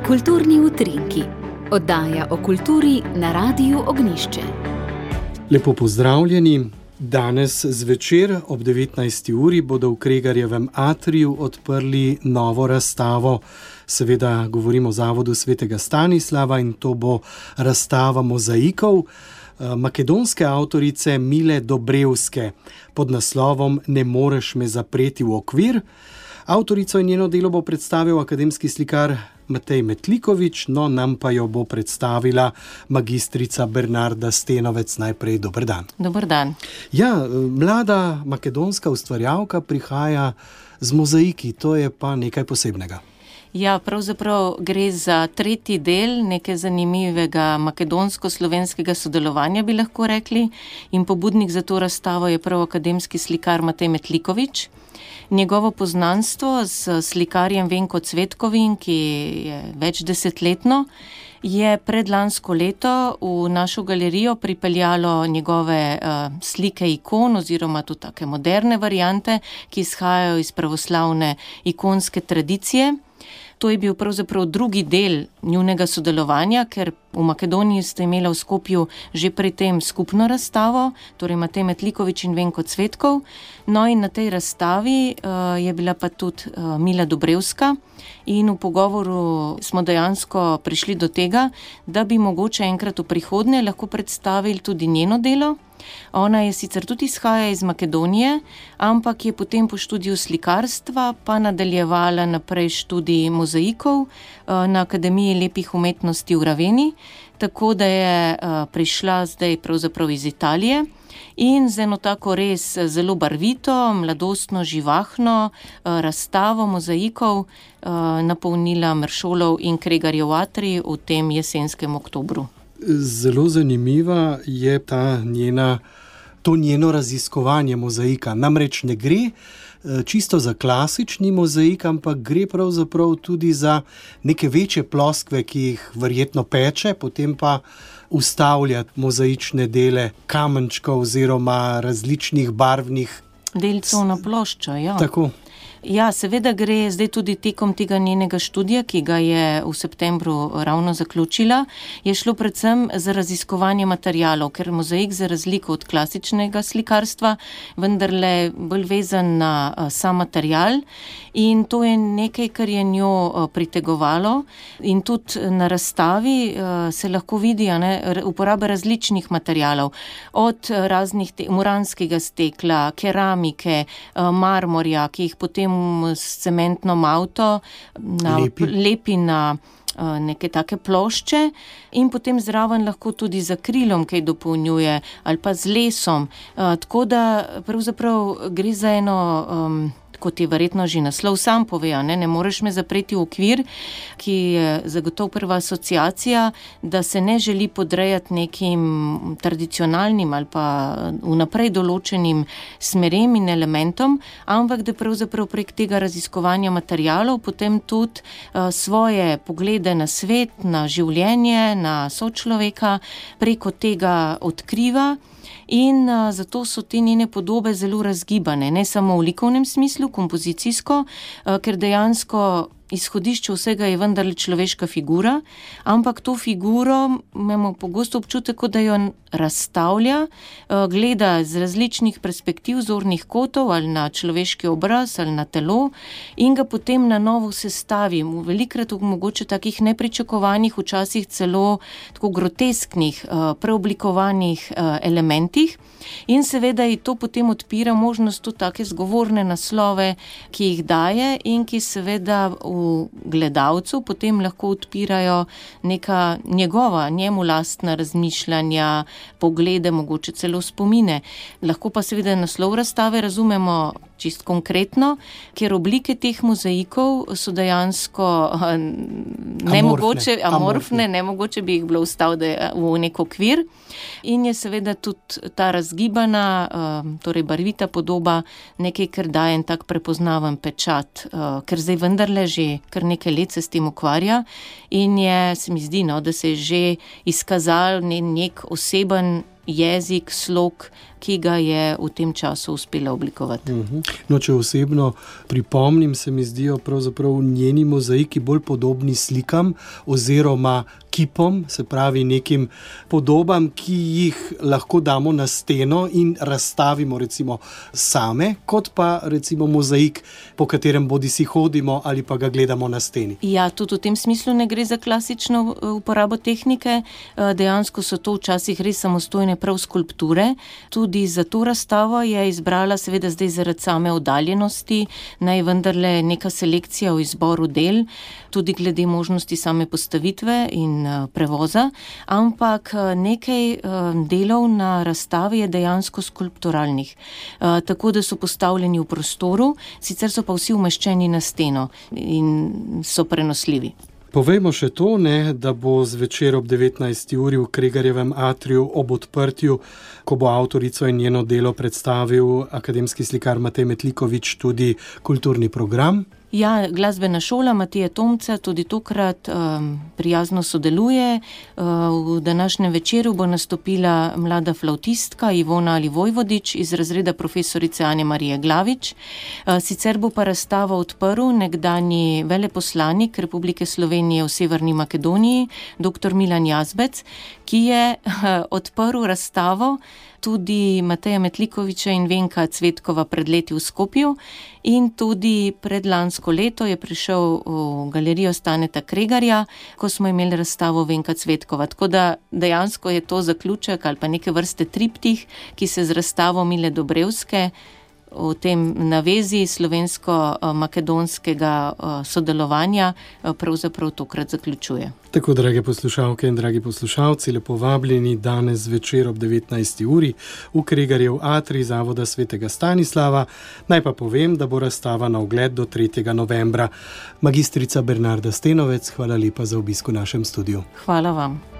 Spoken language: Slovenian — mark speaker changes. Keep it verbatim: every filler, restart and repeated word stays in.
Speaker 1: Kulturni utrinki. Oddaja o kulturi na Radiu Ognjišče.
Speaker 2: Lepo pozdravljeni. Danes zvečer ob devetnajsti uri bodo v Kregarjevem atriju odprli novo razstavo. Seveda govorimo o Zavodu svetega Stanislava in to bo razstava mozaikov makedonske avtorice Mile Dobrevske pod naslovom Ne moreš me zapreti v okvir. Avtorico in njeno delo bo predstavil akademski slikar Matej Metliković, no nam pa jo bo predstavila magistrica Bernarda Stenovec. Najprej dober dan.
Speaker 3: Dober dan.
Speaker 2: Ja, mlada makedonska ustvarjalka prihaja z mozaiki, to je pa nekaj posebnega.
Speaker 3: Ja, pravzaprav gre za tretji del nekaj zanimivega makedonsko-slovenskega sodelovanja, bi lahko rekli, in pobudnik za to razstavo je prav akademski slikar Matej Metliković. Njegovo poznanstvo s slikarjem Venko Cvetkovim, ki je več desetletno, je predlansko leto v našo galerijo pripeljalo njegove uh, slike ikon oziroma tudi take moderne variante, ki izhajajo iz pravoslavne ikonske tradicije. To je bil pravzaprav drugi del njunega sodelovanja, ker v Makedoniji ste imela v Skopju že pri tem skupno razstavo, torej Matej Metliković in Venko Cvetkov. No in na tej razstavi uh, je bila pa tudi uh, Mila Dobrevska in v pogovoru smo dejansko prišli do tega, da bi mogoče enkrat v prihodnje lahko predstavili tudi njeno delo. Ona je sicer tudi izhaja iz Makedonije, ampak je potem po študiju slikarstva pa nadaljevala naprej študij mozaikov na Akademiji lepih umetnosti v Raveni, tako da je prišla zdaj pravzaprav iz Italije in z eno tako res zelo barvito, mladostno, živahno razstavo mozaikov napolnila Meršolov in Kregarjev atrij v tem jesenskem oktobru.
Speaker 2: Zelo zanimiva je ta njena, to njeno raziskovanje mozaika. Namreč ne gre čisto za klasični mozaik, ampak gre pravzaprav tudi za neke večje ploskve, ki jih verjetno peče, potem pa ustavlja mozaične dele kamenčkov oziroma različnih barvnih
Speaker 3: delcev na ploščo. Ja.
Speaker 2: Tako.
Speaker 3: Ja, seveda gre zdaj tudi tekom tega njenega študija, ki ga je v septembru ravno zaključila, je šlo predvsem za raziskovanje materialov, ker mozaik za razliko od klasičnega slikarstva vendarle bolj vezan na sam material in to je nekaj, kar je njo pritegovalo in tudi na razstavi se lahko vidi ne, uporaba različnih materialov, od raznih te, muranskega stekla, keramike, marmorja, ki jih potem s cementno malto na, lepi. lepi na neke take plošče in potem zraven lahko tudi z akrilom kaj dopolnjuje ali pa z lesom. Tako da pravzaprav gre za eno... Um, kot je verjetno že naslov sam pove, ne, ne moreš me zapreti v okvir, ki je zagotovo prva asociacija, da se ne želi podrejati nekim tradicionalnim ali pa vnaprej določenim smerem in elementom, ampak da pravzaprav prek tega raziskovanja materialov potem tudi uh, svoje poglede na svet, na življenje, na sočloveka preko tega odkriva. In uh, zato so te njene podobe zelo razgibane, ne samo v likovnem smislu, kompozicijsko, uh, ker dejansko izhodišče vsega je vendarle človeška figura, ampak to figuro imamo pogosto občutek, da jo razstavlja, gleda z različnih perspektiv, zornih kotov ali na človeški obraz ali na telo in ga potem na novo sestavi, velikrat v mogoče takih nepričakovanih, včasih celo tako grotesknih, preoblikovanih elementih. In seveda je to potem odpira možnost tudi take zgovorne naslove, ki jih daje in ki seveda v gledalcu potem lahko odpirajo neka njegova, njemu lastna razmišljanja, poglede, mogoče celo spomine. Lahko pa seveda naslov razstave razumemo čist konkretno, ker oblike teh mozaikov so dejansko nemogoče, amorfne, amorfne, nemogoče bi jih bilo vstaviti v nek okvir. In je seveda tudi ta razgibana, torej barvita podoba nekaj, kar daje en tak prepoznaven pečat, ker zdaj vendarle že kar nekaj let se s tem ukvarja in je, se mi zdi, no, da se je že izkazal nek oseben jezik, slog ki ga je v tem času uspela oblikovati.
Speaker 2: No, če osebno pripomnim, se mi zdijo pravzaprav njeni mozaiki bolj podobni slikam oziroma kipom, se pravi nekim podobam, ki jih lahko damo na steno in razstavimo recimo same, kot pa recimo mozaik, po katerem bodi si hodimo ali pa ga gledamo na steni.
Speaker 3: Ja, tudi v tem smislu ne gre za klasično uporabo tehnike, dejansko so to včasih res samostojne prav skulpture. Tudi za to razstavo je izbrala, seveda zdaj zaradi same oddaljenosti, naj vendarle neka selekcija v izboru del, tudi glede možnosti same postavitve in prevoza, ampak nekaj delov na razstavi je dejansko skulpturalnih, tako da so postavljeni v prostoru, sicer so pa vsi umeščeni na steno in so prenosljivi.
Speaker 2: Povejmo še to, ne, da bo zvečer ob devetnajsti uri v Kregarjevem atriju ob odprtju, ko bo avtorico in njeno delo predstavil akademski slikar Matej Metlikovič, tudi kulturni program.
Speaker 3: Ja, glasbena šola Matije Tomca tudi tokrat um, prijazno sodeluje. Uh, v današnjem večeru bo nastopila mlada flavtistka Ivona Alivojvodič iz razreda profesorice Anje Marije Glavič. Uh, sicer bo pa razstavo odprl nekdanji veleposlanik Republike Slovenije v Severni Makedoniji, doktor Milan Jazbec, ki je uh, odprl razstavo tudi Mateja Metlikoviča in Venka Cvetkova pred leti v Skopju in tudi predlansko leto je prišel v galerijo Staneta Kregarja, ko smo imeli razstavo Venka Cvetkova. Tako da dejansko je to zaključek ali pa neke vrste triptih, ki se z razstavo Mile Dobrevske v tem navezi slovensko-makedonskega sodelovanja pravzaprav tokrat zaključuje.
Speaker 2: Tako, drage poslušalke in dragi poslušalci, lepo vabljeni danes večer ob devetnajsti uri v Kregarjev atrij Zavoda svetega Stanislava. Naj pa povem, da bo razstava na ogled do tretjega novembra. Magistrica Bernarda Stenovec, hvala lepa za obisk v našem studiu.
Speaker 3: Hvala vam.